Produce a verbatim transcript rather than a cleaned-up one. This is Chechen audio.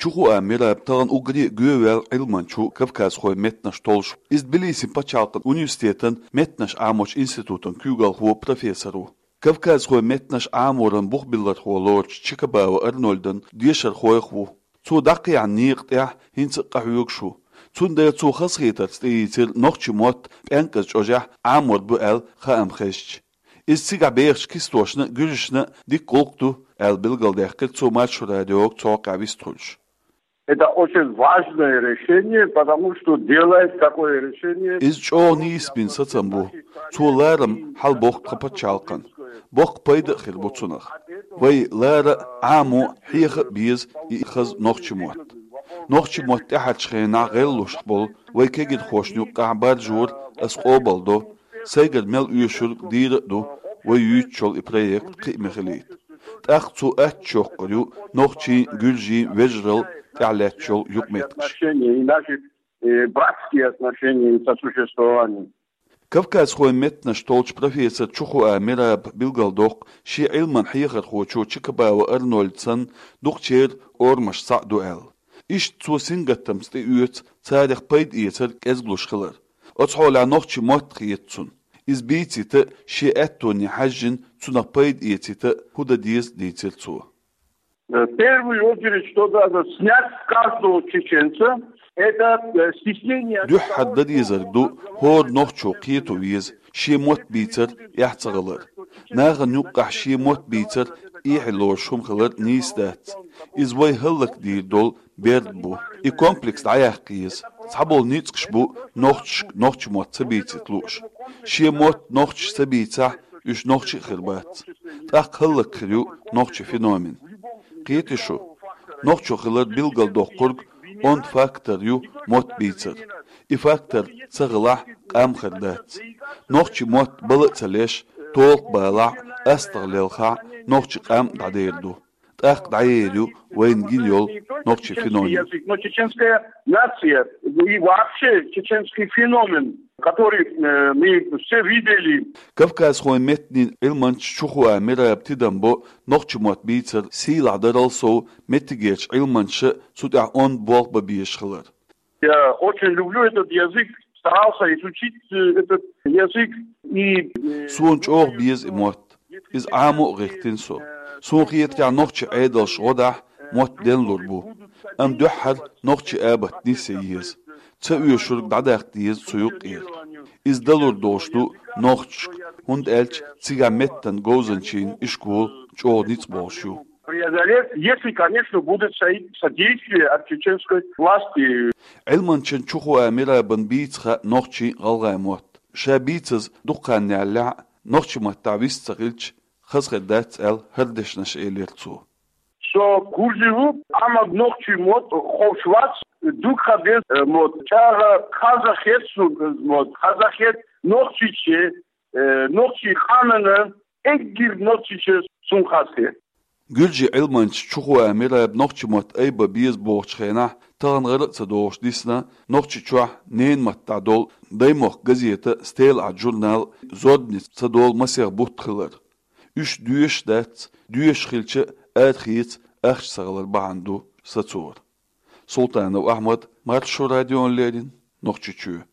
Чухуа Мераб тахана уггаре а гӀоьваьл Ӏилманча ву кавказхой меттанаш толлуш. Иза Тбилисин пачхьалкхан университетан меттанаш Ӏамочу институтан куьйгалхо, профессор ву. Кавказхой меттанаш Ӏаморан бухбиллархо лоручу Чикабава Арнольдан дешархойх ву. Цо дӀакхехьна некъа тӀехь хӀинца а къахьоьгуш ву. Цундела цо хазахетарца тӀеийцира нохчийн мотт пӀенкӀаза чӀожехь Ӏамор бу аьлла хаам хезча. Иза цигахь бехачу кистошна а, гуьржашна а дика гӀуллакх ду, аьлла билгалдаьккхира цо Маршо радиога цу хьокъехь вистхуьлуш. Это очень важное решение, потому что делает такое решение. Иза чӀогӀа нийса бина сацам бу. Цо ларам хьалабохку тхан пачхьалкхан. Боккха пайда а хир бу цунах. Вай лара а, Ӏамо а, хьеха а беза и хаза нохчийн мотт. Нохчийн мотт тӀаьхьарчу хенахь гӀеллуш болу вай кегирхошна юккъехь баржор ас къобалдо, сайгара мел оьшург дийр а ду, вай юьйцучул и проект кхиаме хилийта. ТӀаккха цо аттачу йоккхур ю нохчийн, гуьржийн вежаралла тӀехь лаьтташ йолу юкъаметтигаш. Отношения и наши, э, братские отношения и сосуществование. Кавказхойн меттанаш толлучу профессор Чухуа Мераб билгалдоккху, шен Ӏилманан хьехархочо Чикабава Арнольд санна дукхачеран орамаш схьа а ду аьлла. Иштта цо сингаттамца тӀеоьцу царах пайда эцар кӀезгалуш хилар. Оцу хьолехь нохчийн мотт хета цунна. Иза бийцийта а, шен аьттоне хьаьжжина, цунах пайда эцийта а хӀун дан деза, дийцира цо. Э, в первую очередь, что надо снять с каждого чеченца, это, э, стеснение. Дуьххьара дан дезарг ду, хӀора нохчо кхето веза, шен мотт бийцар эхь ца хилар. Нахана юккъехь шен мотт бийцар эхь лоруш хӀума хилар нийса дац. Иза вай хӀаллакдийр долу берд бу. И комплекс дӀаяккха еза. Цхьаболу ницкъаш бу нохчашка нохчийн мотт ца бийцита лууш. Шен мотт нохчаша ца бийцахь, уьш нохчий а хир бац. ТӀаккха хӀаллакьхир ю нохчийн феномен. Кхетий шу, нохчо хилар билгалдоккхург онда фактор ю мотт бийцар. И фактор ца хилахь, къам хир дац. Нохчийн мотт бала а ца леш, толха балахь, астагӀа лелхахь, нохчийн къам а дӀадер ду. ТӀаккха дӀаер ю вайна гина йолу нохчийн феномен. Но чеченская нация и вообще чеченский феномен, который, э, мы все видели. Кавказхойн меттанийн Ӏилманча Чухуа Мераба тидам бо нохчийн мотт бийцар сийлахь дарал сов меттигерчу Ӏилманчаша цу тӀехь онда болх бан безаш хилар. Я очень люблю этот язык, старался изучить, э, этот язык. И, э, Суна чӀогӀа беза и мотт. Иза Ӏамо а гӀиртина со. Суна хетарехь, нохчийн Ӏедалша гӀо дахь, мотт денлур бу. Амма дуьххьара нохчийн абат нисъян еза. Ца оьшург дӀадаккха деза цу юккъера. Иза далур долуш ду нохчашка, хӀунда аьлча цигахь меттан говзанчийн ишкол чӀогӀа ницкъ болуш ю. Преодолеть, если, конечно, будет со-, содействие от чеченской власти. Ӏилманчин Чухуа Мерабан бийца хаьа нохчийн, гӀалгӀайн мотт. Ша бийцаза дукха хан яьллехь а, нохчийн маттахь вист ца хилча, хаза хир дац аьлла, хӀара дешнаш элира цо. Со гур ю, амма нохчийн мотт ховш вац, дукха хан беза, э, мотт. ЧӀогӀа хазахета суна мотт, хазахета нохчийн, э, нохчийн къаманна, эггара нохчийн суна хазахета. Гуьржийн Ӏилманча Чухуа Мераба нохчийн мотт айбан беза бохучу хенахь, тахана гӀара а ца догӀуш дисна Нохчийчохь ненан маттахь долу «Даймохк» газета, «Стелаат» журнал, «Зорбанец» ца долу масех бутт хилар. Уьш доьшуш дац, доьшуш хилча а, арахеца ахча ца хилар бахьана ду сацор. Султанов Ахьмад, Маршо радиона леррина, Нохчийчоь.